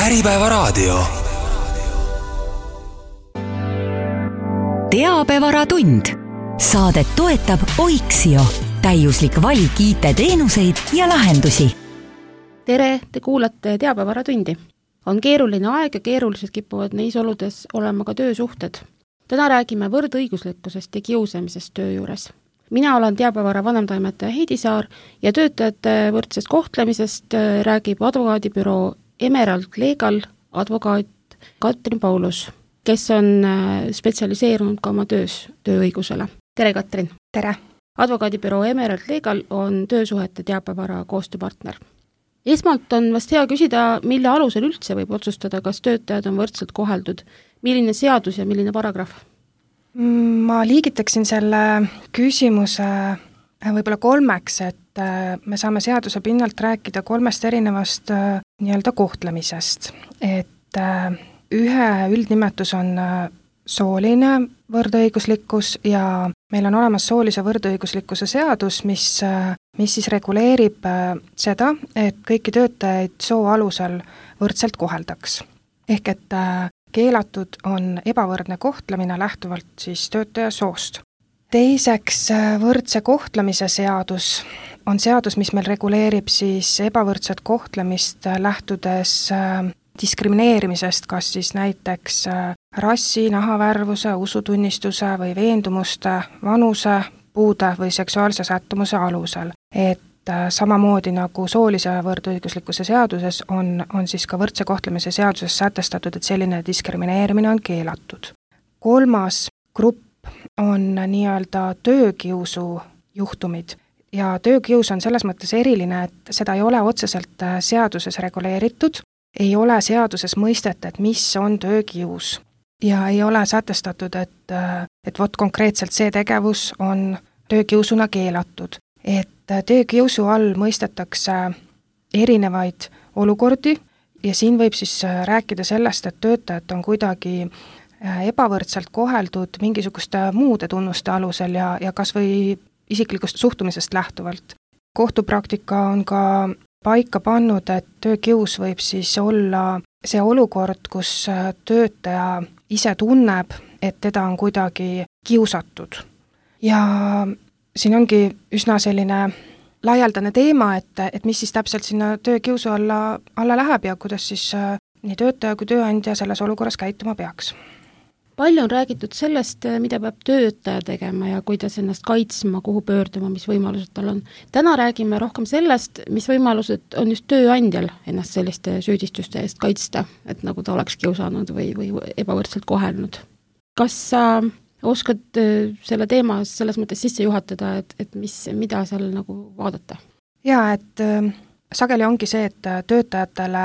Äripäevaraadio. Teabevaratund. Saadet toetab Oiksio. Täiuslik valik IT-teenuseid ja lahendusi. Tere, te kuulate Teabevaratundi. On keeruline aeg ja keerulised kipuvad neis oludes olema ka töösuhted. Täna räägime võrdõiguslikkusest ja kiusamisest töö juures. Mina olen Teabevara vanemtoimetaja Heidi Saar ja töötajate võrdsest kohtlemisest räägib advokaadibüroo Emerald Legal advokaat Katrin Paulus, kes on spetsialiseerunud ka oma töös tööõigusele. Tere, Katrin! Tere! Advokaadibüroo Emerald Legal on töösuhete Teabevara koostööpartner. Esmalt on vast hea küsida, mille alusel üldse võib otsustada, kas töötajad on võrdselt koheldud, milline seadus ja milline paragrahv? Ma liigitaksin selle küsimuse võib-olla kolmeks, et me saame seaduse pinnalt rääkida kolmest erinevast nii-öelda kohtlemisest. Et ühe üldnimetus on sooline võrdõiguslikkus ja meil on olemas soolise võrdõiguslikkuse seadus, mis siis reguleerib seda, et kõiki töötajaid soo alusel võrdselt koheldaks. Ehk et keelatud on ebavõrdne kohtlemine lähtuvalt siis töötaja soost. Teiseks, võrdse kohtlemise seadus on seadus, mis meil reguleerib siis ebavõrdset kohtlemist lähtudes diskrimineerimisest, kas siis näiteks rassi, nahavärvuse, usutunnistuse või veendumuste, vanuse, puude või seksuaalse sättumuse alusel. Et samamoodi nagu soolise võrdõiguslikkuse seaduses on siis ka võrdse kohtlemise seaduses sätestatud, et selline diskrimineerimine on keelatud. Kolmas grupp on nii-öelda töökiusu juhtumid ja töökius on selles mõttes eriline, et seda ei ole otseselt seaduses reguleeritud, ei ole seaduses mõistet, et mis on töökius ja ei ole sätestatud, et vot konkreetselt see tegevus on töökiusuna keelatud. Et töökiusu all mõistetakse erinevaid olukordi ja siin võib siis rääkida sellest, et töötajad on kuidagi ebavõrdselt koheldud mingisuguste muude tunnuste alusel ja kas või isiklikust suhtumisest lähtuvalt. Kohtupraktika on ka paika pannud, et töökius võib siis olla see olukord, kus töötaja ise tunneb, et teda on kuidagi kiusatud. Ja siin ongi üsna selline laialdane teema, et mis siis täpselt sinna töökiusu alla läheb ja kuidas siis nii töötaja kui tööandja selles olukorras käituma peaks. Palju on räägitud sellest, mida peab töötaja tegema ja kuidas ennast kaitsma, kuhu pöörduma, mis võimalused tal on. Täna räägime rohkem sellest, mis võimalused on just tööandjal ennast selliste süüdistuste eest kaitsta, et nagu ta oleks kiusanud või ebavõrdselt kohelnud. Kas sa oskad selle teema selles mõttes sisse juhatada, et mida seal nagu vaadata? Jaa, et sageli ongi see, et töötajatele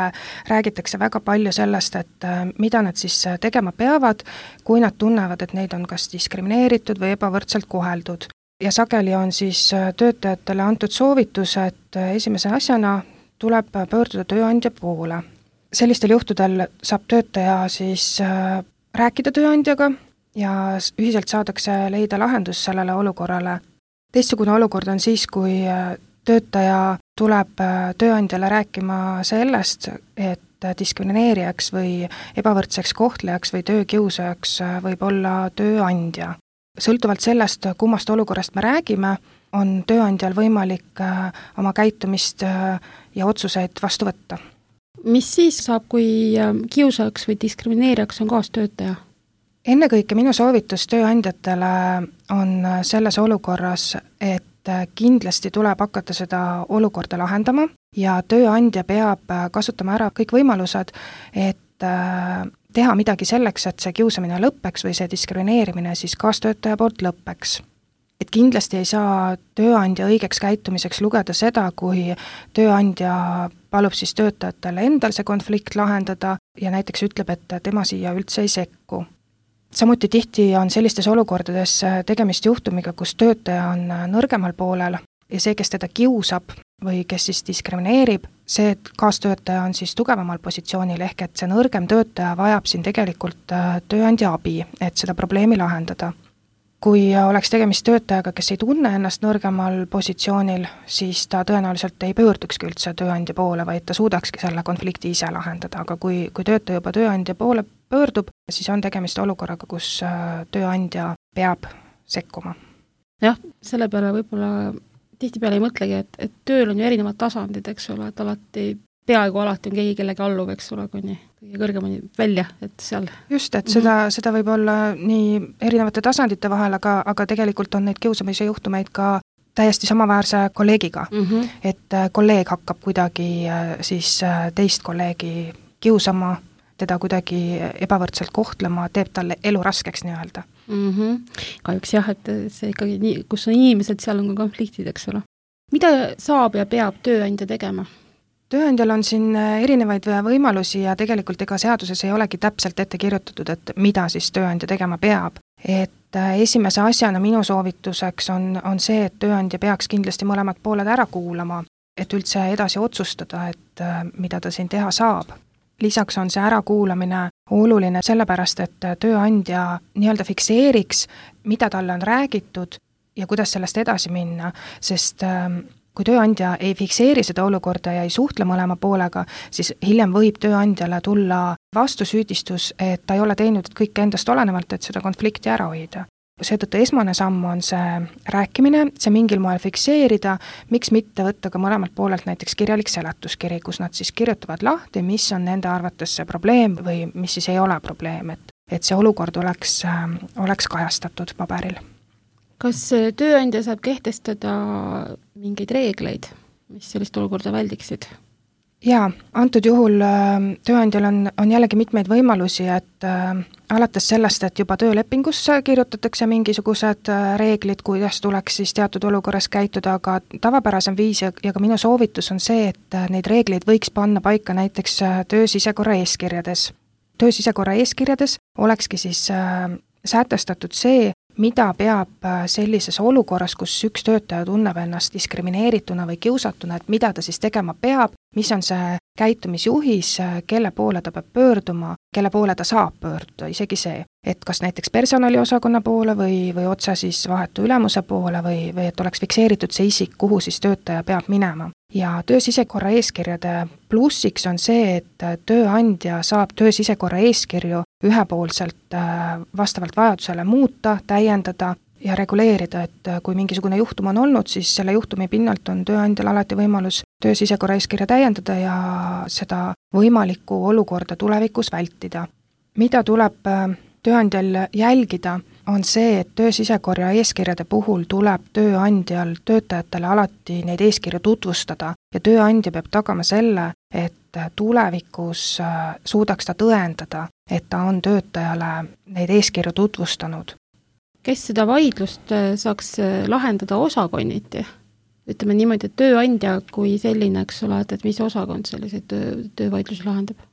räägitakse väga palju sellest, et mida nad siis tegema peavad, kui nad tunnevad, et neid on kas diskrimineeritud või ebavõrdselt koheldud. Ja sageli on siis töötajatele antud soovitus, et esimese asjana tuleb pöörduda tööandja poole. Sellistel juhtudel saab töötaja siis rääkida tööandjaga ja ühiselt saadakse leida lahendus sellele olukorrale. Teistsugune olukord on siis, kui töötaja tuleb tööandjale rääkima sellest, et diskrimineerijaks või ebavõrdseks kohtlejaks või töökiusajaks võib olla tööandja. Sõltuvalt sellest, kummast olukorrast me räägime, on tööandjal võimalik oma käitumist ja otsuseid vastu võtta. Mis siis saab, kui kiusajaks või diskrimineerijaks on kaastöötaja? Ennekõike minu soovitus tööandjatele on selles olukorras, et kindlasti tuleb hakata seda olukorda lahendama ja tööandja peab kasutama ära kõik võimalused, et teha midagi selleks, et see kiusamine lõppeks või see diskrimineerimine siis kaastöötaja poolt lõppeks. Et kindlasti ei saa tööandja õigeks käitumiseks lugeda seda, kui tööandja palub siis töötajatele endal see konflikt lahendada ja näiteks ütleb, et tema siia üldse ei sekku. Samuti tihti on sellistes olukordades tegemist juhtumiga, kus töötaja on nõrgemal poolel ja see, kes teda kiusab või kes siis diskrimineerib, see kaastöötaja on siis tugevamal positsioonil ehk et see nõrgem töötaja vajab siin tegelikult tööandja abi, et seda probleemi lahendada. kui oleks tegemist töötajaga, kes ei tunne ennast nõrgemal positsioonil, siis ta tõenäoliselt ei pöördukski üldse tööandja poole, vaid ta suudakski selle konflikti ise lahendada, aga kui töötaja juba tööandja poole pöördub, siis on tegemist olukorraga, kus tööandja peab sekkuma. Jah, selle peale võib-olla tihtipeale ei mõtlegi, et tööl on ju erinevad tasandid, eks ole, et peaaegu alati on keegi kellegi alluv, eks ole, kuni kõige kõrgemani välja, et seal. Just, et seda võib olla nii erinevate tasandite vahel, aga tegelikult on neid kiusamise juhtumeid ka täiesti samaväärse kolleegiga. Et kolleeg hakkab kuidagi siis teist kolleegi kiusama, teda kuidagi ebavõrdselt kohtlema, teeb talle elu raskeks nii-öelda. Kahjuks jah, et see ikkagi nii, kus on inimesed, seal on ka konfliktid, eks ole. Mida saab ja peab tööandja tegema? Tööandjal on siin erinevaid võimalusi ja tegelikult ega seaduses ei olegi täpselt ette kirjutatud, et mida siis tööandja tegema peab. Et esimese asjana minu soovituseks on see, et tööandja peaks kindlasti mõlemad pooled ära kuulama, et üldse edasi otsustada, et mida ta siin teha saab. Lisaks on see ärakuulamine oluline sellepärast, et tööandja nii-öelda fikseeriks, mida talle on räägitud ja kuidas sellest edasi minna, sest kui tööandja ei fikseeri seda olukorda ja ei suhtle mõlema poolega, siis hiljem võib tööandjale tulla vastusüüdistus, et ta ei ole teinud kõik endast olenevalt, et seda konflikti ära hoida. Seetõttu esmane samm on see rääkimine, see mingil moel fikseerida, miks mitte võtta ka mõlemalt poolelt näiteks kirjalik seletuskiri, kus nad siis kirjutavad lahti, mis on nende arvates see probleem või mis siis ei ole probleem, et see olukord oleks kajastatud paberil. Kas tööandja saab kehtestada mingeid reegleid, mis sellist olukorda väldiksid? Jaa, antud juhul tööandjal on jällegi mitmeid võimalusi, et alates sellest, et juba töölepingusse kirjutatakse mingisugused reeglid, kuidas tuleks siis teatud olukorras käituda, aga tavapärasem viis ja ka minu soovitus on see, et neid reegleid võiks panna paika näiteks töösisekorra eeskirjades. Töösisekorra eeskirjades olekski siis sätestatud see, mida peab sellises olukorras, kus üks töötaja tunneb ennast diskrimineerituna või kiusatuna, et mida ta siis tegema peab, mis on see käitumisjuhis, kelle poole ta peab pöörduma, kelle poole ta saab pöörduda, isegi see, et kas näiteks personaliosakonna poole või otse siis vahetu ülemuse poole või et oleks fikseeritud see isik, kuhu siis töötaja peab minema. Ja töösisekorra eeskirjade plussiks on see, et tööandja saab töösisekorra eeskirju ühepoolselt vastavalt vajadusele muuta, täiendada ja reguleerida, et kui mingisugune juhtum on olnud, siis selle juhtumi pinnalt on tööandjal alati võimalus töösisekorra eeskirja täiendada ja seda võimalikku olukorda tulevikus vältida. Mida tuleb tööandjal jälgida, on see, et töösisekorra eeskirjade puhul tuleb tööandjal töötajatele alati neid eeskirju tutvustada ja tööandja peab tagama selle, et tulevikus suudaks ta tõendada, et ta on töötajale neid eeskirju tutvustanud. Kes seda vaidlust saaks lahendada osakonniti? Ütleme niimoodi, et tööandja kui selline, eks ole, et mis osakond selliseid töövaidlusi lahendab?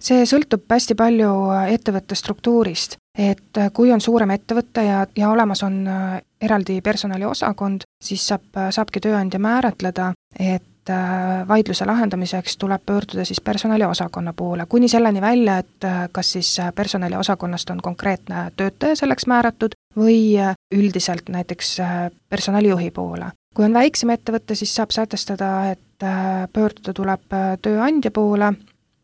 See sõltub hästi palju ettevõtte struktuurist, et kui on suurem ettevõte ja olemas on eraldi personaliosakond, siis saabki tööandja määratleda, et vaidluse lahendamiseks tuleb pöörduda siis personaliosakonna poole, kuni selleni välja, et kas siis personaliosakonnast on konkreetne töötaja selleks määratud või üldiselt näiteks personalijuhi poole. Kui on väiksem ettevõte, siis saab sätestada, et pöörduda tuleb tööandja poole.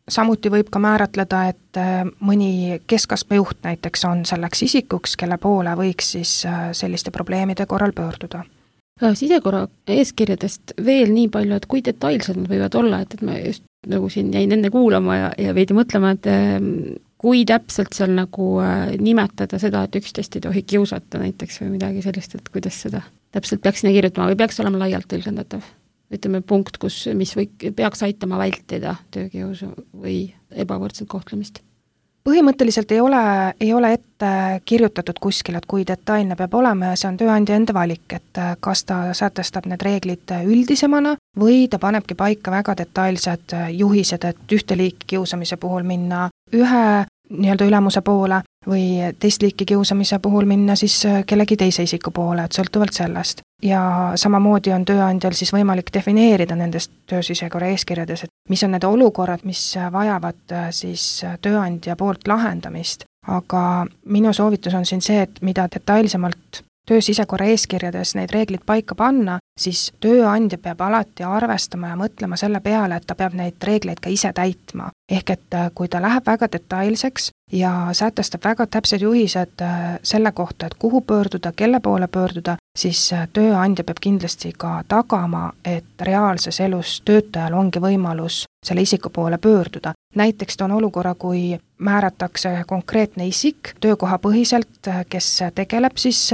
Samuti võib ka määratleda, et mõni keskastme juht näiteks on selleks isikuks, kelle poole võiks siis selliste probleemide korral pöörduda. Sisekorra eeskirjadest veel nii palju, et kui detailsed nad võivad olla, et ma just nagu siin jäin enne kuulama ja veidi mõtlema, et kui täpselt seal nagu nimetada seda, et üksteist ei tohi kiusata näiteks või midagi sellist, et kuidas seda täpselt peaks sinna kirjutama või peaks olema laialt tõlgendatav? Ütleme punkt, mis peaks aitama vältida töökiusu või ebavõrdset kohtlemist? Põhimõtteliselt ei ole ette kirjutatud kuskil, et kui detailne peab olema ja see on tööandja enda valik, et kas ta sätestab need reeglid üldisemana või ta panebki paika väga detailsed juhised, et ühte liiki kiusamise puhul minna ühe nii-öelda ülemuse poole või teist liiki kiusamise puhul minna siis kellegi teise isiku poole, et sõltuvalt sellest. Ja samamoodi on tööandjal siis võimalik defineerida nendest töösisekorra eeskirjades, et mis on need olukorrad, mis vajavad siis tööandja poolt lahendamist. Aga minu soovitus on siin see, et mida detailsemalt töösisekorra eeskirjades neid reeglid paika panna, siis tööandja peab alati arvestama ja mõtlema selle peale, et ta peab neid reegleid ka ise täitma. Ehk et kui ta läheb väga detailseks ja sätestab väga täpsed juhised selle kohta, et kuhu pöörduda, kelle poole pöörduda, siis tööandja peab kindlasti ka tagama, et reaalses elus töötajal ongi võimalus selle isiku poole pöörduda. Näiteks on olukorra, kui määratakse konkreetne isik töökohapõhiselt, kes tegeleb siis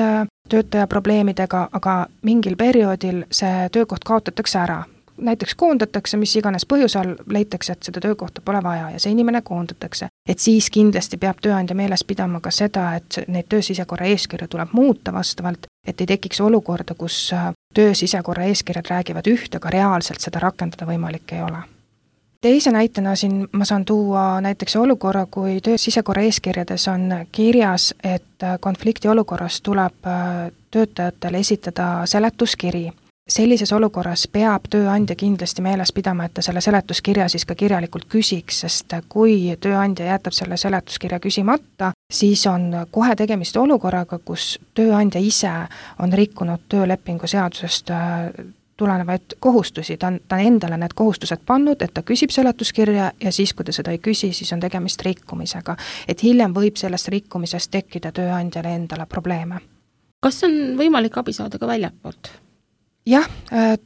töötaja probleemidega, aga mingil perioodil see töökoht kaotatakse ära. Näiteks koondatakse, mis iganes põhjusel leitakse, et seda töökohta pole vaja ja see inimene koondatakse. Et siis kindlasti peab tööandja meeles pidama ka seda, et neid töösisekorra eeskirja tuleb muuta vastavalt, et ei tekiks olukorda, kus töösisekorra eeskirjad räägivad üht, aga reaalselt seda rakendada võimalik ei ole. Teise näitena siin ma saan tuua näiteks olukorra, kui töösisekorra eeskirjades on kirjas, et konflikti olukorras tuleb töötajatele esitada seletuskiri. Sellises olukorras peab tööandja kindlasti meeles pidama, et ta selle seletuskirja siis ka kirjalikult küsiks, sest kui tööandja jätab selle seletuskirja küsimata, siis on kohe tegemist olukorraga, kus tööandja ise on rikkunud töölepingu seadusest tulenevaid kohustusi, ta on endale need kohustused pannud, et ta küsib seletuskirja ja siis, kui ta seda ei küsi, siis on tegemist rikkumisega. Et hiljem võib sellest rikkumisest tekkida tööandjale endale probleeme. Kas on võimalik abi saada ka väljapoolt? Jah,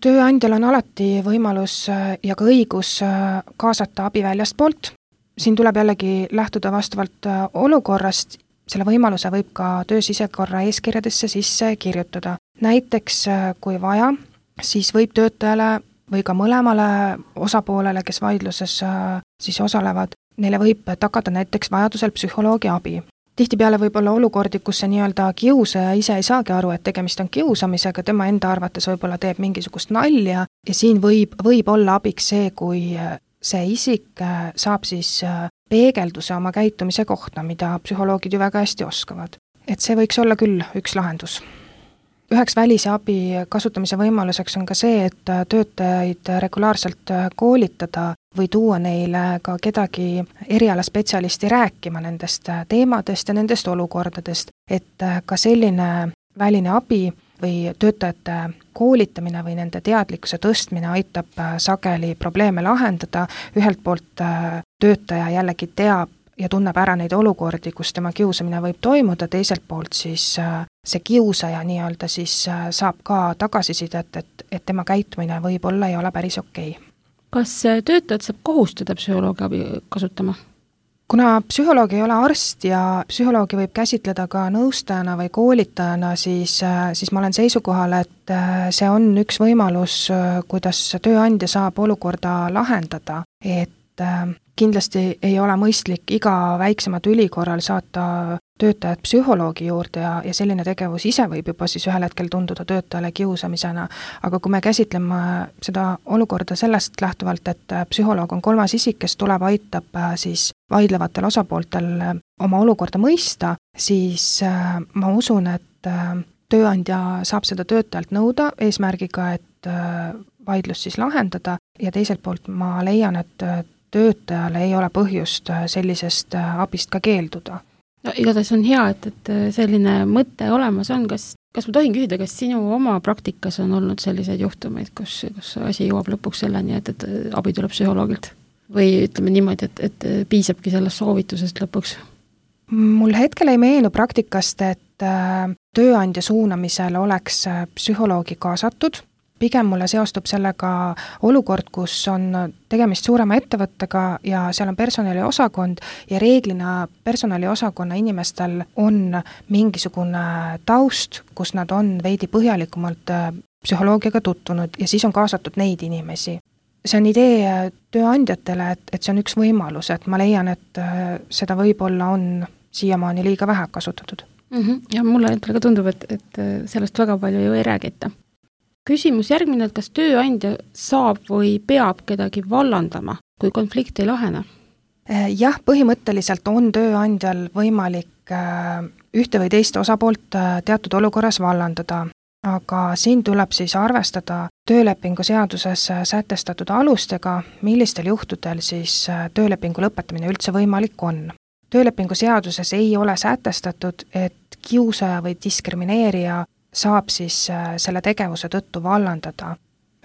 tööandjal on alati võimalus ja ka õigus kaasata abi väljastpoolt. Siin tuleb jällegi lähtuda vastavalt olukorrast, selle võimaluse võib ka töösisekorra eeskirjadesse sisse kirjutada. Näiteks, kui vaja, siis võib töötajale või ka mõlemale osapoolele, kes vaidluses siis osalevad, neile võib tagada näiteks vajadusel psühholoogi abi. Tihtipeale võib olla olukordi, kus see nii-öelda kiusaja ise ei saagi aru, et tegemist on kiusamisega, tema enda arvates võib-olla teeb mingisugust nalja ja siin võib olla abiks see, kui see isik saab siis peegelduse oma käitumise kohta, mida psühholoogid ju väga hästi oskavad. Et see võiks olla küll üks lahendus. Üheks välise abi kasutamise võimaluseks on ka see, et töötajaid regulaarselt koolitada või tuua neile ka kedagi erialaspetsialisti rääkima nendest teemadest ja nendest olukordadest, et ka selline väline abi või töötajate koolitamine või nende teadlikkuse tõstmine aitab sageli probleeme lahendada. Ühelt poolt töötaja jällegi teab ja tunneb ära neid olukordi, kus tema kiusamine võib toimuda, teiselt poolt siis see kiusaja nii-öelda siis saab ka tagasisidet, et tema käitumine võib-olla ei ole päris okei. Kas töötajad saab kohustada psühholoogi abi kasutama? Kuna psühholoog ei ole arst ja psühholoogi võib käsitleda ka nõustajana või koolitajana, siis ma olen seisukohal, et see on üks võimalus, kuidas tööandja saab olukorda lahendada, et kindlasti ei ole mõistlik iga väiksemat üli korral saata töötajad psühholoogi juurde ja selline tegevus ise võib juba siis ühel hetkel tunduda töötajale kiusamisena, aga kui me käsitleme seda olukorda sellest lähtuvalt, et psühholoog on kolmas isik, kes tuleb, aitab siis vaidlevatel osapooltel oma olukorda mõista, siis ma usun, et tööandja saab seda töötajalt nõuda eesmärgiga, et vaidlus siis lahendada ja teiselt poolt ma leian, et töötajale ei ole põhjust sellisest abist ka keelduda. No, igatahes on hea, et selline mõte olemas on. Kas ma tohin küsida, kas sinu oma praktikas on olnud selliseid juhtumeid, kus asi jõuab lõpuks selleni, et abi tuleb psühholoogilt? Või ütleme niimoodi, et piisabki sellest soovitusest lõpuks? Mul hetkel ei meenu praktikast, et tööandja suunamisel oleks psühholoogi kaasatud. Pigem mulle seostub sellega olukord, kus on tegemist suurema ettevõttega ja seal on personaliosakond ja reeglina personaliosakonna inimestel on mingisugune taust, kus nad on veidi põhjalikumalt psühholoogiaga tutvunud ja siis on kaasatud neid inimesi. See on idee tööandjatele, et see on üks võimalus, et ma leian, et seda võib-olla on siiamaani liiga vähe kasutatud. Ja mulle endale ka tundub, et sellest väga palju ju ei räägita. Küsimus järgmine, et kas tööandja saab või peab kedagi vallandama, kui konflikt ei lahene? Jah, põhimõtteliselt on tööandjal võimalik ühte või teist osapoolt teatud olukorras vallandada, aga siin tuleb siis arvestada töölepingu seaduses sätestatud alustega, millistel juhtudel siis töölepingu lõpetamine üldse võimalik on. Töölepingu seaduses ei ole sätestatud, et kiusaja või diskrimineerija saab siis selle tegevuse tõttu vallandada.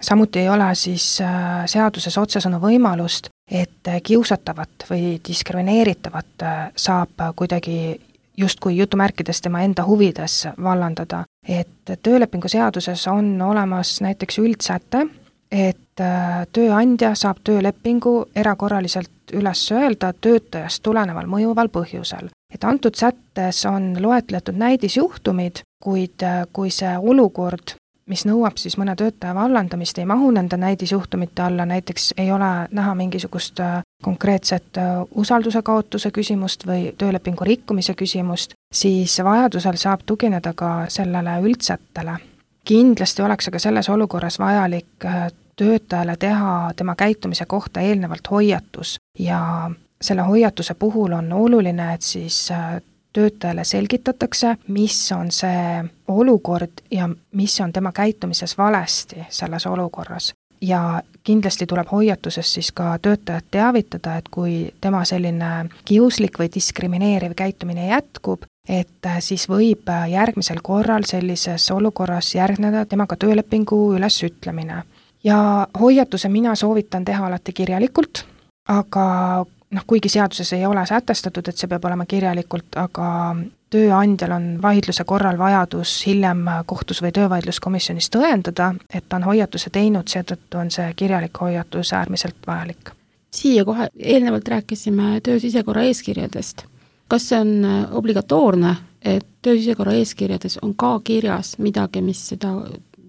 Samuti ei ole siis seaduses otsesõnu võimalust, et kiusatavat või diskrimineeritavat saab kuidagi justkui jutumärkides tema enda huvides vallandada. Et töölepingu seaduses on olemas näiteks üldsäte, et tööandja saab töölepingu erakorraliselt üles öelda töötajast tuleneval mõjuval põhjusel. Et antud sättes on loetletud näidisjuhtumid, kuid kui see olukord, mis nõuab siis mõne töötaja vallandamist, ei mahu nende näidisjuhtumite alla, näiteks ei ole näha mingisugust konkreetset usalduse kaotuse küsimust või töölepingu rikkumise küsimust, siis vajadusel saab tugineda ka sellele üldsättele. Kindlasti oleks aga selles olukorras vajalik töötajale teha tema käitumise kohta eelnevalt hoiatus ja selle hoiatuse puhul on oluline, et siis töötajale selgitatakse, mis on see olukord ja mis on tema käitumises valesti selles olukorras. Ja kindlasti tuleb hoiatuses siis ka töötajat teavitada, et kui tema selline kiuslik või diskrimineeriv käitumine jätkub, et siis võib järgmisel korral sellises olukorras järgneda temaga töölepingu ülesütlemine. Ja hoiatuse mina soovitan teha alati kirjalikult, aga kuigi seaduses ei ole sätestatud, et see peab olema kirjalikult, aga tööandjal on vaidluse korral vajadus hiljem kohtus või töövaidluskomisjonis tõendada, et ta on hoiatuse teinud, seetõttu on see kirjalik hoiatus äärmiselt vajalik. Siia kohe eelnevalt rääkisime töösisekorra eeskirjadest. Kas see on obligatoorne, et töösisekorra eeskirjades on ka kirjas midagi, mis seda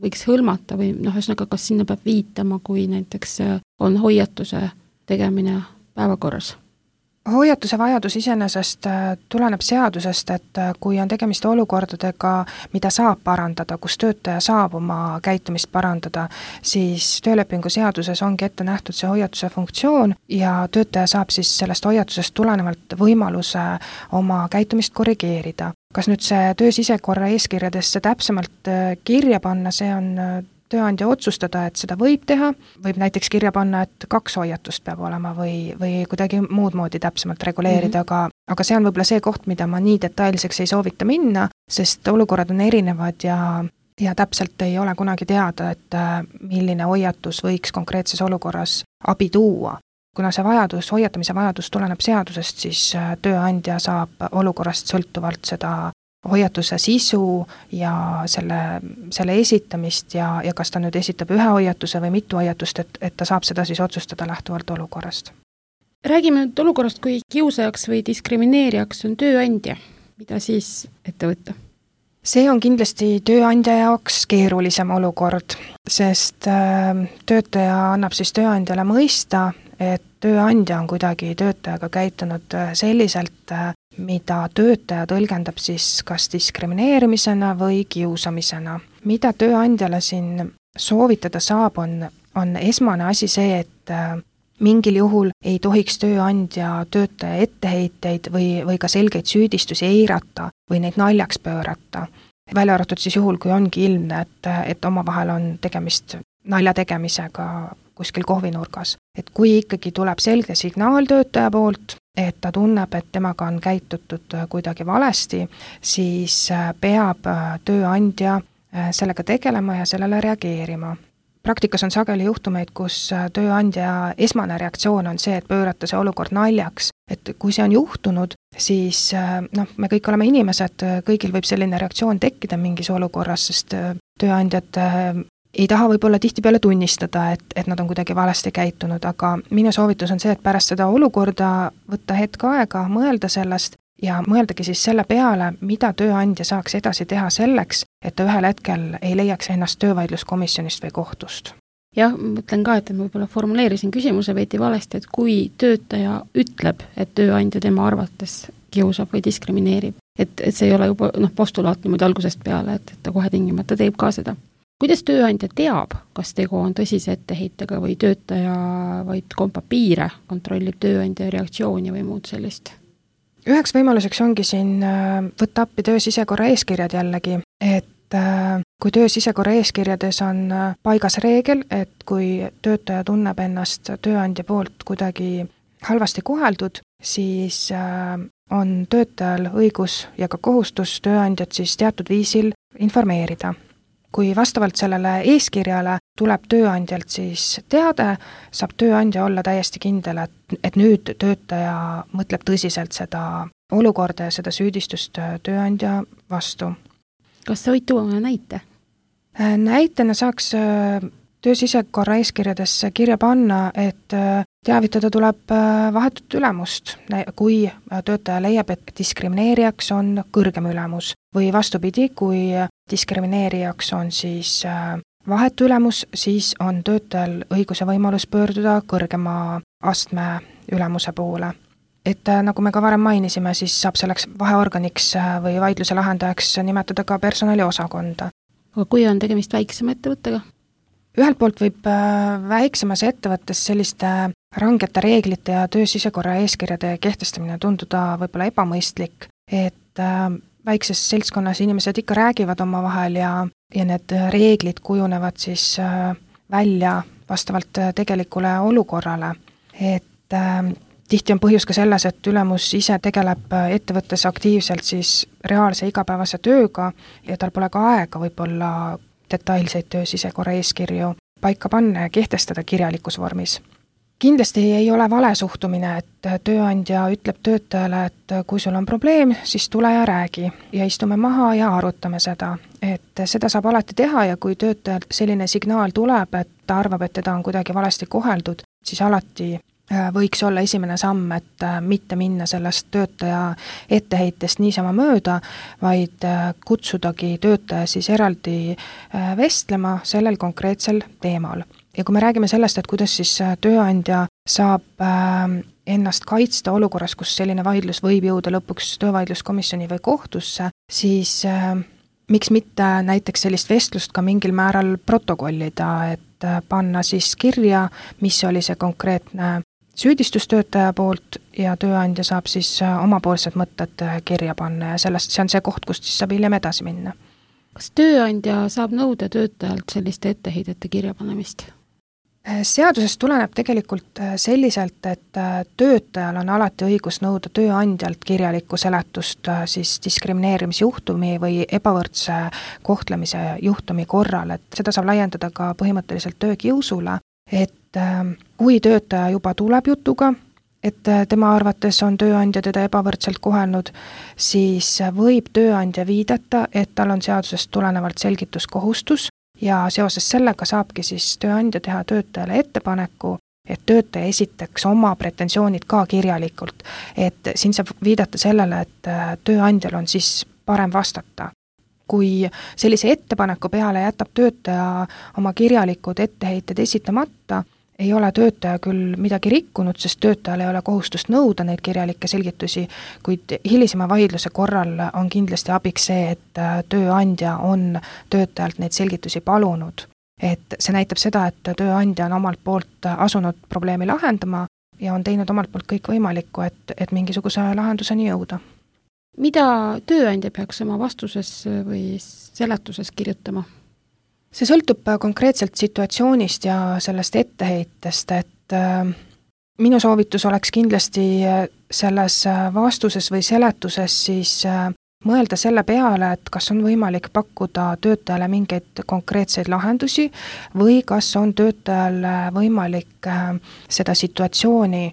võiks hõlmata või ühesõnaga, kas sinna peab viitama, kui näiteks on hoiatuse tegemine päevakorras? Hoiatuse vajadus iseenesest tuleneb seadusest, et kui on tegemist olukordadega, mida saab parandada, kus töötaja saab oma käitumist parandada, siis töölepingu seaduses ongi ette nähtud see hoiatuse funktsioon ja töötaja saab siis sellest hoiatusest tulenevalt võimaluse oma käitumist korrigeerida. Kas nüüd see töösisekorra eeskirjadesse täpsemalt kirja panna, see on tööandja otsustada, et seda võib teha, võib näiteks kirja panna, et 2 hoiatust peab olema või kuidagi muud moodi täpsemalt reguleerida, aga see on võib-olla see koht, mida ma nii detailseks ei soovita minna, sest olukorrad on erinevad ja täpselt ei ole kunagi teada, et milline hoiatus võiks konkreetses olukorras abi tuua. Kuna see hoiatamise vajadus tuleneb seadusest, siis tööandja saab olukorrast sõltuvalt seda hoiatuse sisu ja selle esitamist ja kas ta nüüd esitab 1 hoiatuse või mitu hoiatust, et ta saab seda siis otsustada lähtuvalt olukorrast. Räägime nüüd olukorrast, kui kiusajaks või diskrimineerijaks on tööandja. Mida siis ette võtta? See on kindlasti tööandja jaoks keerulisem olukord, sest töötaja annab siis tööandjale mõista, et tööandja on kuidagi töötajaga käitunud selliselt, mida töötaja tõlgendab siis kas diskrimineerimisena või kiusamisena. Mida tööandjale siin soovitada saab, on esmane asi see, et mingil juhul ei tohiks tööandja töötaja etteheiteid või ka selgeid süüdistusi eirata või neid naljaks pöörata. Välja arvatud siis juhul, kui ongi ilmne, et omavahel on tegemist nalja tegemisega kuskil kohvinurgas. Et kui ikkagi tuleb selge signaal töötaja poolt, et ta tunneb, et temaga on käitutud kuidagi valesti, siis peab tööandja sellega tegelema ja sellele reageerima. Praktikas on sageli juhtumeid, kus tööandja esmane reaktsioon on see, et pöörata see olukord naljaks. Et kui see on juhtunud, siis me kõik oleme inimesed, kõigil võib selline reaktsioon tekkida mingis olukorras, sest tööandjad ei taha võib-olla tihtipeale tunnistada, et nad on kuidagi valesti käitunud, aga minu soovitus on see, et pärast seda olukorda võtta hetk aega, mõelda sellest ja mõeldagi siis selle peale, mida tööandja saaks edasi teha selleks, et ta ühel hetkel ei leiaks ennast töövaidluskomisjonist või kohtust. Jah, mõtlen ka, et ma võib-olla formuleerisin küsimuse veidi valesti, et kui töötaja ütleb, et tööandja tema arvates kiusab või diskrimineerib, et see ei ole juba postulaat niimoodi algusest peale, et ta kohe tingimata teeb ka seda. Kuidas tööandja teab, kas tegu on tõsise etteheitega või töötaja vaid kompab piire, kontrollib tööandja reaktsiooni või muud sellist? Üheks võimaluseks ongi siin võtta appi töösisekorra eeskirjad jällegi, et kui töösisekorra eeskirjades on paigas reegel, et kui töötaja tunneb ennast tööandja poolt kuidagi halvasti koheldud, siis on töötajal õigus ja ka kohustus tööandjat siis teatud viisil informeerida. Kui vastavalt sellele eeskirjale tuleb tööandjalt siis teade, saab tööandja olla täiesti kindel, et nüüd töötaja mõtleb tõsiselt seda olukorda ja seda süüdistust tööandja vastu. Kas sa võid tuua näite? Näitena saaks töösisekorra eeskirjadesse kirja panna, et teavitada tuleb vahetut ülemust, kui töötaja leiab, et diskrimineerijaks on kõrgem ülemus või vastupidi, kui diskrimineerijaks on siis vahetu ülemus, siis on töötajal õigus ja võimalus pöörduda kõrgema astme ülemuse poole. Et nagu me ka varem mainisime, siis saab selleks vaheorganiks või vaidluse lahendajaks nimetada ka personaliosakonda. Aga kui on tegemist väiksema ettevõttega? Ühelt poolt võib väiksemas ettevõttes selliste rangete reeglite ja töösisekorra eeskirjade kehtestamine tunduda võib-olla ebamõistlik, et väikses seltskonnas inimesed ikka räägivad omavahel ja need reeglid kujunevad siis välja vastavalt tegelikule olukorrale. Et tihti on põhjus ka selles, et ülemus ise tegeleb ettevõttes aktiivselt siis reaalse igapäevase tööga ja tal pole ka aega võib-olla detailseid töösisekorra eeskirju paika panna ja kehtestada kirjalikus vormis. Kindlasti ei ole vale suhtumine, et tööandja ütleb töötajale, et kui sul on probleem, siis tule ja räägi ja istume maha ja arutame seda. Et seda saab alati teha ja kui töötajal selline signaal tuleb, et ta arvab, et teda on kuidagi valesti koheldud, siis alati võiks olla esimene samm, et mitte minna sellest töötaja etteheitest niisama mööda, vaid kutsudagi töötaja siis eraldi vestlema sellel konkreetsel teemal. Ja kui me räägime sellest, et kuidas siis tööandja saab ennast kaitsta olukorras, kus selline vaidlus võib jõuda lõpuks töövaidluskomisjoni või kohtusse, siis miks mitte näiteks sellist vestlust ka mingil määral protokollida, et panna siis kirja, mis oli see konkreetne süüdistustöötaja poolt ja tööandja saab siis omapoolsed mõtted kirja panna ja see on see koht, kust siis saab hiljem edasi minna. Kas tööandja saab nõuda töötajalt selliste etteheidete kirjapanemist? Seadusest tuleneb tegelikult selliselt, et töötajal on alati õigus nõuda tööandjalt kirjalikku seletust siis diskrimineerimisjuhtumi või ebavõrdse kohtlemise juhtumi korral, et seda saab laiendada ka põhimõtteliselt töökiusule, et kui töötaja juba tuleb jutuga, et tema arvates on tööandja teda ebavõrdselt kohelnud, siis võib tööandja viidata, et tal on seadusest tulenevalt selgituskohustus ja seoses sellega saabki siis tööandja teha töötajale ettepaneku, et töötaja esitaks oma pretensioonid ka kirjalikult. Et siin saab viidata sellele, et tööandjal on siis parem vastata. Kui sellise ettepaneku peale jätab töötaja oma kirjalikud etteheited esitamata, ei ole töötaja küll midagi rikkunud, sest töötajal ei ole kohustust nõuda neid kirjalikke selgitusi, kuid hilisema vaidluse korral on kindlasti abiks see, et tööandja on töötajalt neid selgitusi palunud. Et see näitab seda, et tööandja on omalt poolt asunud probleemi lahendama ja on teinud omalt poolt kõik võimalikku, et mingisuguse lahenduseni jõuda. Mida tööandja peaks oma vastuses või seletuses kirjutama? See sõltub konkreetselt situatsioonist ja sellest etteheitest, et minu soovitus oleks kindlasti selles vastuses või seletuses siis mõelda selle peale, et kas on võimalik pakkuda töötajale mingeid konkreetseid lahendusi või kas on töötajal võimalik seda situatsiooni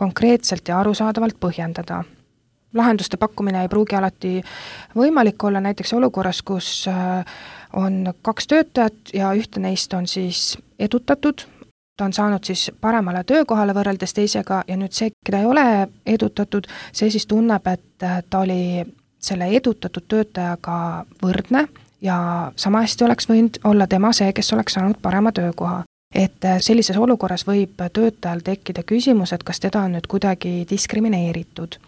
konkreetselt ja arusaadavalt põhjendada. Lahenduste pakkumine ei pruugi alati võimalik olla näiteks olukorras, kus on 2 töötajat ja ühte neist on siis edutatud, ta on saanud siis paremale töökohale võrreldes teisega ja nüüd see, keda ei ole edutatud, see siis tunneb, et ta oli selle edutatud töötajaga võrdne ja sama hästi oleks võinud olla tema see, kes oleks saanud parema töökoha. Et sellises olukorras võib töötajal tekkida küsimus, et kas teda on nüüd kuidagi diskrimineeritud.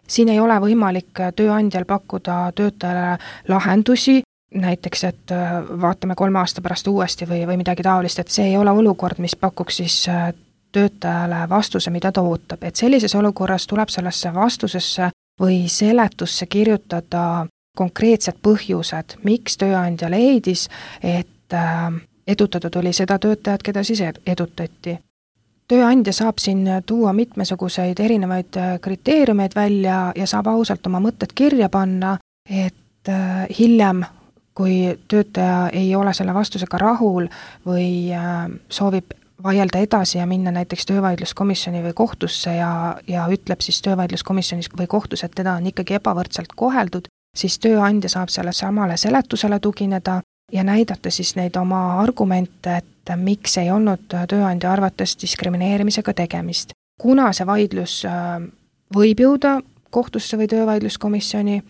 Siin ei ole võimalik tööandjal pakkuda töötajale lahendusi, näiteks, et vaatame 3 aasta pärast uuesti või midagi taolist, et see ei ole olukord, mis pakuks siis töötajale vastuse, mida ta ootab. Et sellises olukorras tuleb sellesse vastusesse või seletusse kirjutada konkreetsed põhjused, miks tööandja leidis, et edutatud oli seda töötajat, keda siis edutati. Tööandja saab siin tuua mitmesuguseid erinevaid kriteeriumeid välja ja saab ausalt oma mõtted kirja panna, et hiljem, kui töötaja ei ole selle vastusega rahul või soovib vaielda edasi ja minna näiteks töövaidluskomisjoni või kohtusse ja ütleb siis töövaidluskomisjonis või kohtus, et teda on ikkagi ebavõrdselt koheldud, siis tööandja saab selle samale seletusele tugineda ja näidata siis neid oma argumente, et miks ei olnud tööandja arvates diskrimineerimisega tegemist. Kuna see vaidlus võib jõuda kohtusse või töövaidluskomisjoni,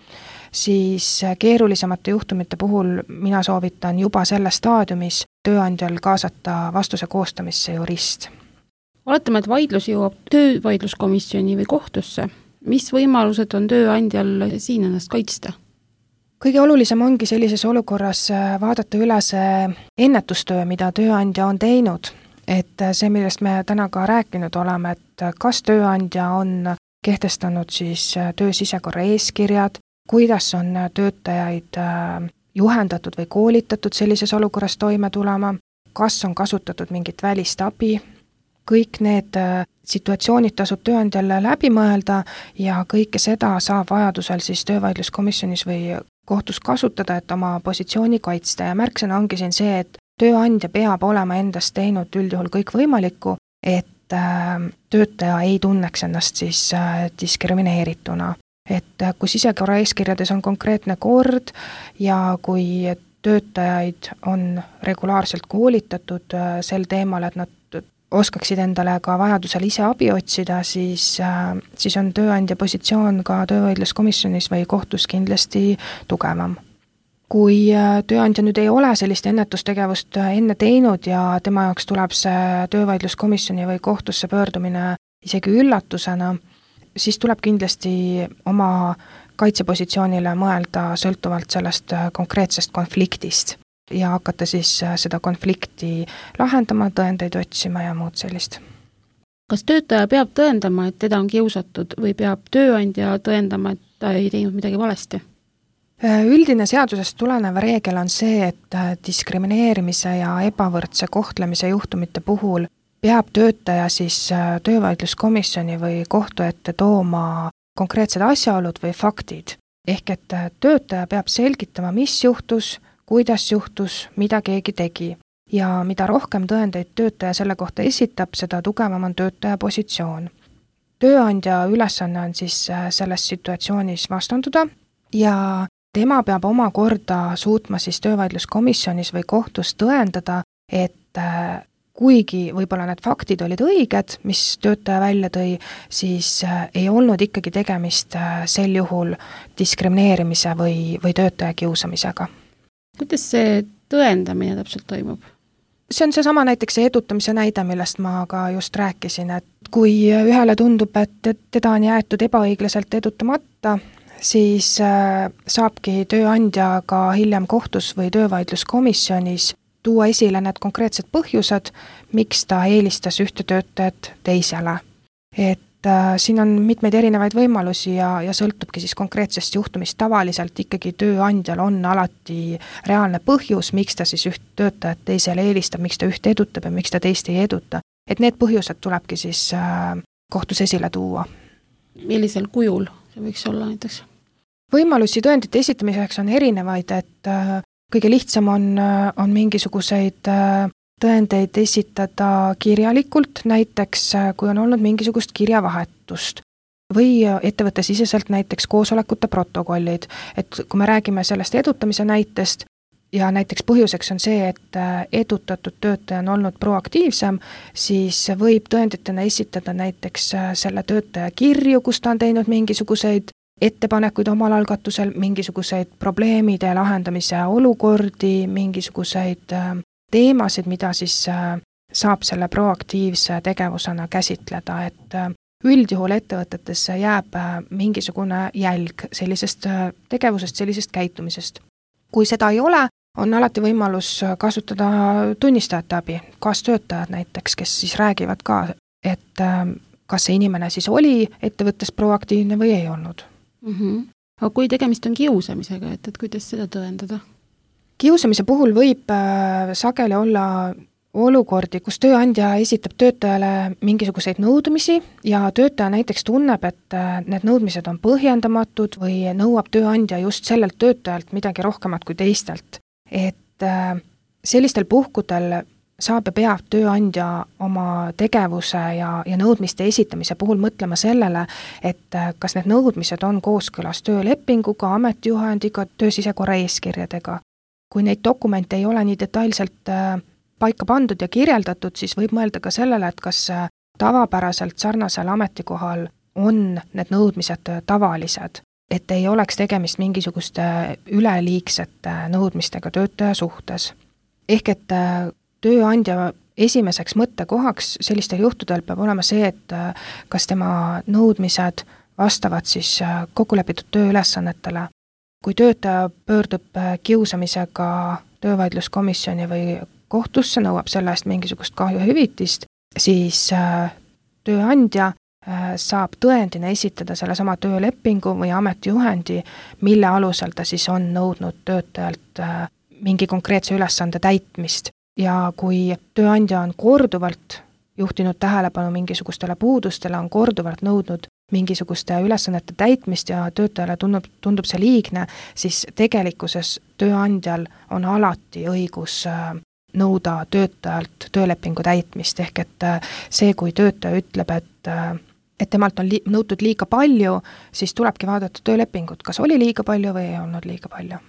siis keerulisemate juhtumite puhul mina soovitan juba selles staadiumis tööandjal kaasata vastuse koostamisse jurist. Oletame, et vaidlus jõuab töövaidluskomisjoni või kohtusse. Mis võimalused on tööandjal siin ennast kaitsta? Kõige olulisem ongi sellises olukorras vaadata üle see ennetustöö, mida tööandja on teinud. Et see, millest me täna ka rääkinud oleme, et kas tööandja on kehtestanud siis töö sisekorra eeskirjad, kuidas on töötajaid juhendatud või koolitatud sellises olukorras toime tulema, kas on kasutatud mingit välist abi, kõik need situatsioonid tasub tööandjal läbi mõelda ja kõike seda saab vajadusel siis töövaidluskomisjonis või kohtus kasutada, et oma positsiooni kaitsta ja märksõna ongi siin see, et tööandja peab olema endast teinud üldjuhul kõik võimalikku, et töötaja ei tunneks ennast siis diskrimineerituna. Et kui sisekorra eeskirjades on konkreetne kord ja kui töötajaid on regulaarselt koolitatud sel teemal, et nad oskaksid endale ka vajadusel ise abi otsida, siis on tööandja positsioon ka töövaidluskomisjonis või kohtus kindlasti tugevam. Kui tööandja nüüd ei ole sellist ennetustegevust enne teinud ja tema jaoks tuleb see töövaidluskomisjoni või kohtusse pöördumine isegi üllatusena, siis tuleb kindlasti oma kaitsepositsioonile mõelda sõltuvalt sellest konkreetsest konfliktist ja hakata siis seda konflikti lahendama, tõendeid otsima ja muud sellist. Kas töötaja peab tõendama, et teda on kiusatud või peab tööandja tõendama, et ta ei teinud midagi valesti? Üldine seadusest tulenev reegel on see, et diskrimineerimise ja ebavõrdse kohtlemise juhtumite puhul peab töötaja siis töövaidluskomisjoni või kohtu ette tooma konkreetsed asjaolud või faktid. Ehk et töötaja peab selgitama, mis juhtus, kuidas juhtus, mida keegi tegi. Ja mida rohkem tõendeid töötaja selle kohta esitab, seda tugevam on töötaja positsioon. Tööandja ülesanne on siis selles situatsioonis vastanduda ja tema peab oma korda suutma siis töövaidluskomisjonis või kohtus tõendada, et kuigi võib-olla need faktid olid õiged, mis töötaja välja tõi, siis ei olnud ikkagi tegemist sel juhul diskrimineerimise või töötaja kiusamisega. Kuidas see tõendamine täpselt toimub? See on seesama näiteks see edutamise näide, millest ma ka just rääkisin, et kui ühele tundub, et teda on jäetud ebaõiglaselt edutamata, siis saabki tööandja ka hiljem kohtus või töövaidluskomisjonis tuua esile need konkreetsed põhjused, miks ta eelistas ühte töötajat teisele. Et siin on mitmeid erinevaid võimalusi ja sõltubki siis konkreetsest juhtumist. Tavaliselt ikkagi tööandjal on alati reaalne põhjus, miks ta siis üht töötajat teisele eelistab, miks ta üht edutab ja miks ta teist ei eduta. Et need põhjused tulebki siis kohtus esile tuua. Millisel kujul see võiks olla näiteks? Võimalusi tõendite esitamiseks on erinevaid, et kõige lihtsam on mingisuguseid tõendeid esitada kirjalikult, näiteks kui on olnud mingisugust kirjavahetust või ettevõttesiseselt näiteks koosolekute protokollid, et kui me räägime sellest edutamise näitest ja näiteks põhjuseks on see, et edutatud töötaja on olnud proaktiivsem, siis võib tõenditena esitada näiteks selle töötaja kirju, kus ta on teinud mingisuguseid ettepanekuid omal algatusel, mingisuguseid probleemide lahendamise olukordi, mingisuguseid teemasid, mida siis saab selle proaktiivse tegevusena käsitleda, et üldjuhul ettevõtetesse jääb mingisugune jälg sellisest tegevusest, sellisest käitumisest. Kui seda ei ole, on alati võimalus kasutada tunnistajate abi, kaastöötajad näiteks, kes siis räägivad ka, et kas see inimene siis oli ettevõttes proaktiivne või ei olnud. Aga kui tegemist on kiusamisega, et kuidas seda tõendada? Kiusamise puhul võib sageli olla olukordi, kus tööandja esitab töötajale mingisuguseid nõudmisi ja töötaja näiteks tunneb, et need nõudmised on põhjendamatud või nõuab tööandja just sellelt töötajalt midagi rohkemat kui teistelt. Et sellistel puhkudel saab ja peab tööandja oma tegevuse ja nõudmiste esitamise puhul mõtlema sellele, et kas need nõudmised on kooskõlas töölepinguga, ametijuhendiga, töösisekorra eeskirjadega. Kui neid dokumente ei ole nii detailselt paika pandud ja kirjeldatud, siis võib mõelda ka sellele, et kas tavapäraselt sarnasel ametikohal on need nõudmised tavalised, et ei oleks tegemist mingisuguste üleliigsete nõudmistega töötaja suhtes. Ehk et tööandja esimeseks mõttekohaks sellistel juhtudel peab olema see, et kas tema nõudmised vastavad siis kokkulepitud tööülesannetele. Kui töötaja pöördub kiusamisega töövaidluskomisjoni või kohtusse, nõuab selle eest mingisugust kahjuhüvitist, siis tööandja saab tõendina esitada sellesama töölepingu või ametijuhendi, mille alusel ta siis on nõudnud töötajalt mingi konkreetse ülesande täitmist. Ja kui tööandja on korduvalt juhtinud tähelepanu mingisugustele puudustele, on korduvalt nõudnud mingisuguste ülesannete täitmist ja töötajale tundub see liigne, siis tegelikkuses tööandjal on alati õigus nõuda töötajalt töölepingu täitmist, ehk et see, kui töötaja ütleb, et temalt on nõutud liiga palju, siis tulebki vaadata töölepingut, kas oli liiga palju või ei olnud liiga palju.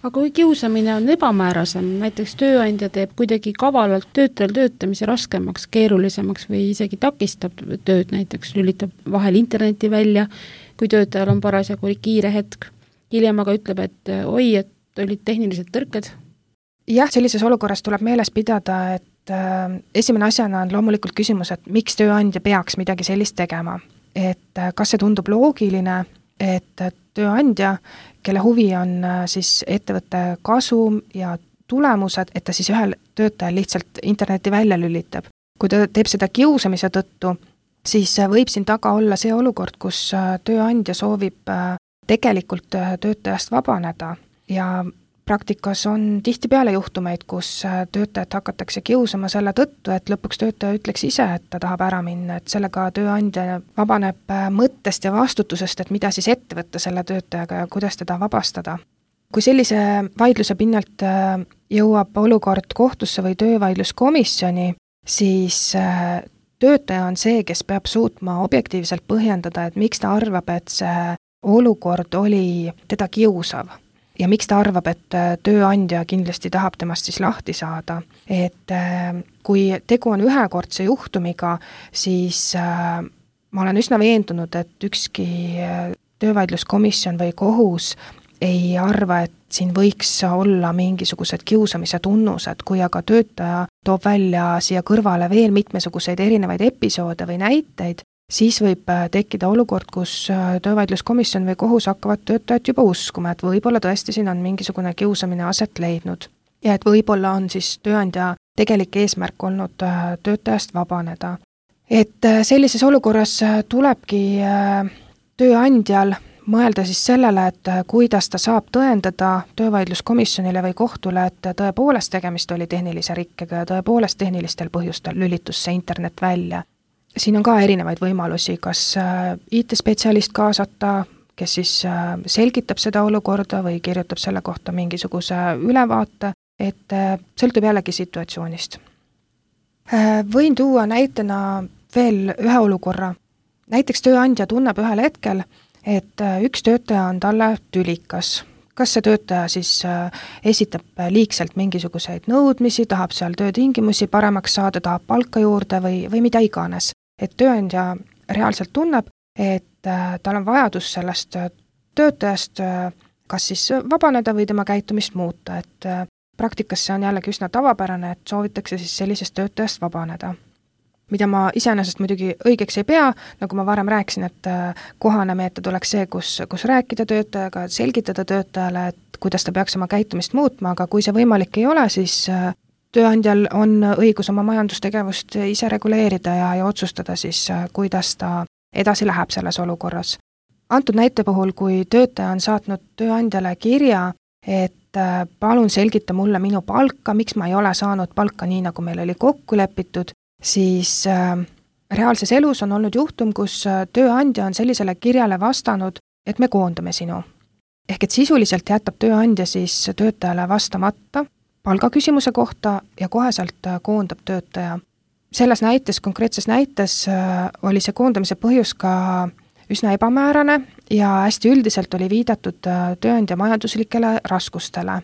Aga kui kiusamine on ebamäärasem, näiteks tööandja teeb kuidagi kavalalt töötajal töötamise raskemaks, keerulisemaks või isegi takistab tööd, näiteks lülitab vahel interneti välja, kui töötajal on parasjagu kiire hetk, hiljem aga ütleb, et oi, et olid tehnilised tõrked. Jah, sellises olukorras tuleb meeles pidada, et esimene asjana on loomulikult küsimus, et miks tööandja peaks midagi sellist tegema. Et kas see tundub loogiline, et tööandja, kelle huvi on siis ettevõtte kasum ja tulemused, et ta siis ühel töötajal lihtsalt interneti välja lülitab. Kui ta teeb seda kiusamise tõttu, siis võib siin taga olla see olukord, kus tööandja soovib tegelikult töötajast vabaneda ja praktikas on tihtipeale juhtumeid, kus töötajat hakatakse kiusama selle tõttu, et lõpuks töötaja ütleks ise, et ta tahab ära minna, et sellega tööandja vabaneb mõttest ja vastutusest, et mida siis ette võtta selle töötajaga ja kuidas teda vabastada. Kui sellise vaidluse pinnalt jõuab olukord kohtusse või töövaidluskomisjoni, siis töötaja on see, kes peab suutma objektiivselt põhjendada, et miks ta arvab, et see olukord oli teda kiusav. Ja miks ta arvab, et tööandja kindlasti tahab temast siis lahti saada. Et kui tegu on ühekordse juhtumiga, siis ma olen üsna veendunud, et ükski töövaidluskomisjon või kohus ei arva, et siin võiks olla mingisugused kiusamise tunnused, kui aga töötaja toob välja siia kõrvale veel mitmesuguseid erinevaid episoode või näiteid, siis võib tekkida olukord, kus töövaidluskomisjon või kohus hakkavad töötajat juba uskuma, et võib-olla tõesti siin on mingisugune kiusamine aset leidnud. Ja et võib-olla on siis tööandja tegelik eesmärk olnud töötajast vabaneda. Et sellises olukorras tulebki tööandjal mõelda siis sellele, et kuidas ta saab tõendada töövaidluskomisjonile või kohtule, et tõepoolest tegemist oli tehnilise rikkega ja tõepoolest tehnilistel põhjustel lülitus see internet välja. Siin on ka erinevaid võimalusi, kas IT-spetsialist kaasata, kes siis selgitab seda olukorda või kirjutab selle kohta mingisuguse ülevaate, et sõltub jällegi situatsioonist. Võin tuua näitena veel ühe olukorra. Näiteks tööandja tunneb ühel hetkel, et üks töötaja on talle tülikas. Kas see töötaja siis esitab liigselt mingisuguseid nõudmisi, tahab seal töötingimusi paremaks saada, tahab palka juurde või mida iganes. Et tööandja reaalselt tunneb, et tal on vajadus sellest töötajast kas siis vabaneda või tema käitumist muuta, et praktikas see on jällegi üsna tavapärane, et soovitakse siis sellisest töötajast vabaneda. Mida ma iseenesest muidugi õigeks ei pea, nagu ma varem rääkisin, et kohane meetod oleks see, kus rääkida töötajaga, selgitada töötajale, et kuidas ta peaks oma käitumist muutma, aga kui see võimalik ei ole, siis tööandjal on õigus oma majandustegevust ise reguleerida ja otsustada siis, kuidas ta edasi läheb selles olukorras. Antud näite puhul, kui töötaja on saatnud tööandjale kirja, et palun selgita mulle minu palka, miks ma ei ole saanud palka nii, nagu meil oli kokku lepitud, siis reaalses elus on olnud juhtum, kus tööandja on sellisele kirjale vastanud, et me koondame sinu. Ehk et sisuliselt jätab tööandja siis töötajale vastamata palgaküsimuse kohta ja koheselt koondab töötaja. Selles näites, konkreetses näites oli see koondamise põhjus ka üsna ebamäärane ja hästi üldiselt oli viidatud tööandja majanduslikele raskustele.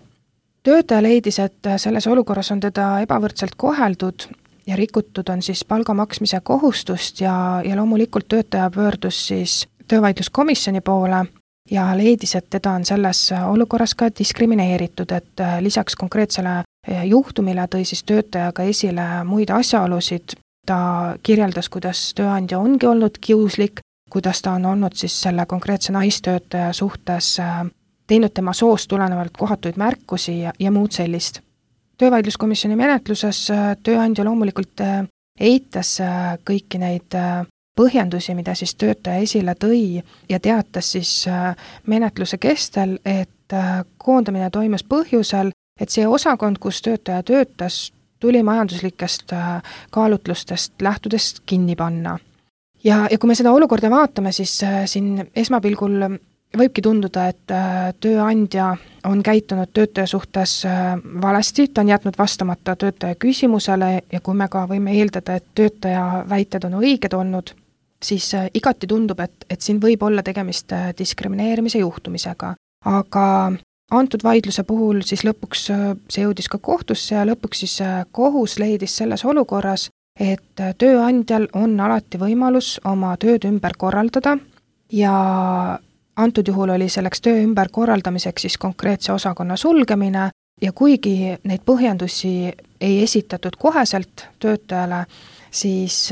Töötaja leidis, et selles olukorras on teda ebavõrdselt koheldud ja rikutud on siis palga maksmise kohustust ja loomulikult töötaja pöördus siis töövaidluskomisjoni poole ja leidis, et teda on selles olukorras ka diskrimineeritud, et lisaks konkreetsele juhtumile tõi siis töötajaga esile muid asjaolusid. Ta kirjeldas, kuidas tööandja ongi olnud kiuslik, kuidas ta on olnud siis selle konkreetse naistöötaja suhtes teinud tema soost tulenevalt kohatuid märkusi ja muud sellist. Töövaidluskomisjoni menetluses tööandja loomulikult eitas kõiki neid põhjendusi, mida siis töötaja esile tõi ja teatas siis menetluse kestel, et koondamine toimus põhjusel, et see osakond, kus töötaja töötas, tuli majanduslikest kaalutlustest lähtudest kinni panna. Ja kui me seda olukorda vaatame, siis siin esmapilgul võibki tunduda, et tööandja on käitunud töötaja suhtes valesti, ta on jätnud vastamata töötaja küsimusele ja kui me ka võime eeldada, et töötaja väited on õiged olnud, siis igati tundub, et siin võib olla tegemist diskrimineerimise juhtumisega. Aga antud vaidluse puhul siis lõpuks see jõudis ka kohtusse ja lõpuks siis kohus leidis selles olukorras, et tööandjal on alati võimalus oma tööd ümber korraldada ja antud juhul oli selleks töö ümberkorraldamiseks siis konkreetse osakonna sulgemine ja kuigi neid põhjendusi ei esitatud koheselt töötajale, siis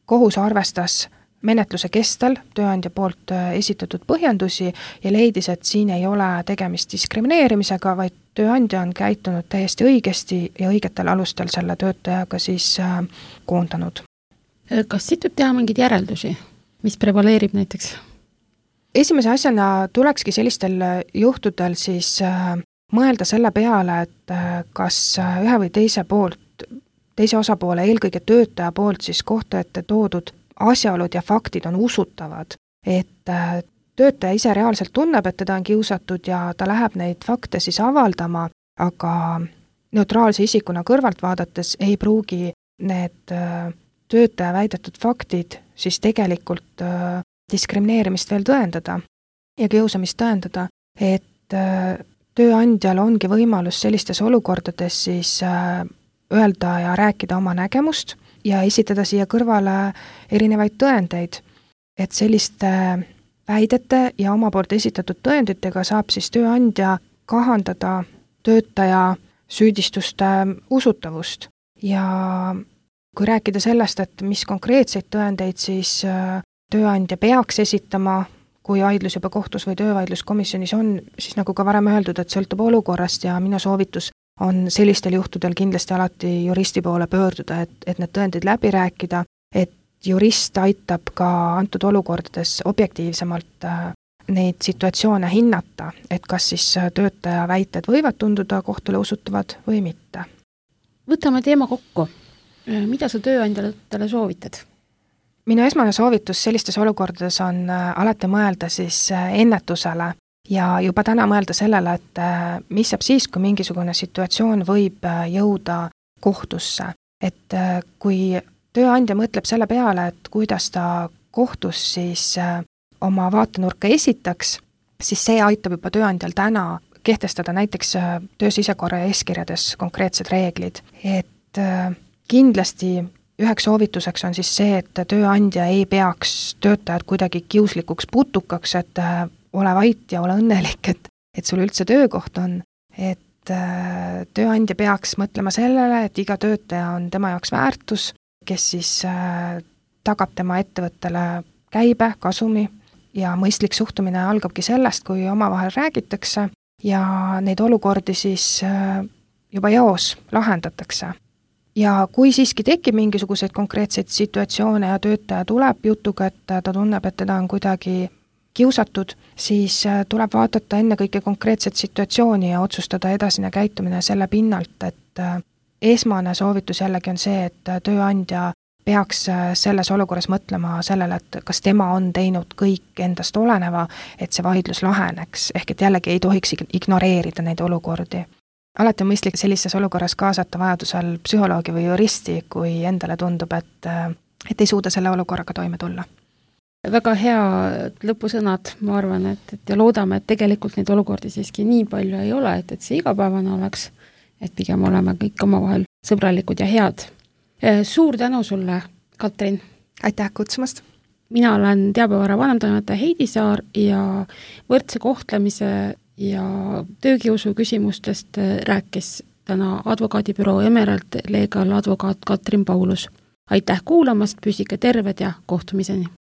kohus arvestas menetluse kestel tööandja poolt esitatud põhjendusi ja leidis, et siin ei ole tegemist diskrimineerimisega, vaid tööandja on käitunud täiesti õigesti ja õigetel alustel selle töötajaga siis koondanud. Kas siit võib teha mingeid järeldusi, mis prevaleerib näiteks? Esimese asjana tulekski sellistel juhtudel siis mõelda selle peale, et kas ühe või teise osapoole, eelkõige töötaja poolt siis kohtu ette toodud asjaolud ja faktid on usutavad, et töötaja ise reaalselt tunneb, et teda on kiusatud ja ta läheb neid fakte siis avaldama, aga neutraalse isikuna kõrvalt vaadates ei pruugi need töötaja väidetud faktid siis tegelikult diskrimineerimist veel tõendada ja kiusamist tõendada, et tööandjal ongi võimalus sellistes olukordades siis öelda ja rääkida oma nägemust ja esitada siia kõrvale erinevaid tõendeid, et selliste väidete ja oma poolt esitatud tõenditega saab siis tööandja kahandada töötaja süüdistuste usutavust. Ja kui rääkida sellest, et mis konkreetseid tõendeid siis tööandja peaks esitama, kui vaidlus juba kohtus või töövaidluskomisjonis on, siis nagu ka varem öeldud, et sõltub olukorrast ja minu soovitus on sellistel juhtudel kindlasti alati juristi poole pöörduda, et need tõendid läbi rääkida, et jurist aitab ka antud olukordades objektiivsemalt neid situatsioone hinnata, et kas siis töötaja väited võivad tunduda kohtule usutavad või mitte. Võtame teema kokku. Mida sa tööandjatele soovitad? Minu esmane soovitus sellistes olukordades on alati mõelda siis ennetusele ja juba täna mõelda sellele, et mis saab siis, kui mingisugune situatsioon võib jõuda kohtusse. Et kui tööandja mõtleb selle peale, et kuidas ta kohtus siis oma vaatenurka esitaks, siis see aitab juba tööandjal täna kehtestada näiteks töö sisekorra ja eeskirjades konkreetsed reeglid. Et kindlasti üheks soovituseks on siis see, et tööandja ei peaks töötajad kuidagi kiuslikuks putukaks, et ole vait ja ole õnnelik, et sul üldse töökoht on, et tööandja peaks mõtlema sellele, et iga töötaja on tema jaoks väärtus, kes siis tagab tema ettevõttele käibe, kasumi ja mõistlik suhtumine algabki sellest, kui omavahel räägitakse ja neid olukordi siis juba jaos lahendatakse. Ja kui siiski tekib mingisuguseid konkreetseid situatsioone ja töötaja tuleb jutuga, et ta tunneb, et teda on kuidagi kiusatud, siis tuleb vaadata ennekõike konkreetset situatsiooni ja otsustada edasine käitumine selle pinnalt, et esmane soovitus jällegi on see, et tööandja peaks selles olukorras mõtlema sellele, et kas tema on teinud kõik endast oleneva, et see vaidlus laheneks, ehk et jällegi ei tohiks ignoreerida neid olukordi. Alati on mõistlik sellises olukorras kaasata vajadusel psühholoogi või juristi, kui endale tundub, et ei suuda selle olukorraga toime tulla. Väga hea lõpusõnad, ma arvan, et ja loodame, et tegelikult neid olukordi siiski nii palju ei ole, et see igapäevane oleks, et pigem oleme kõik omavahel sõbralikud ja head. Suur tänu sulle, Katrin! Aitäh kutsumast! Mina olen Teabevara vanemtoimetaja Heidi Saar ja võrdse kohtlemise ja töökiusu küsimustest rääkis täna advokaadibüroo Emerald Legal advokaat Katrin Paulus. Aitäh kuulamast, püsige terved ja kohtumiseni!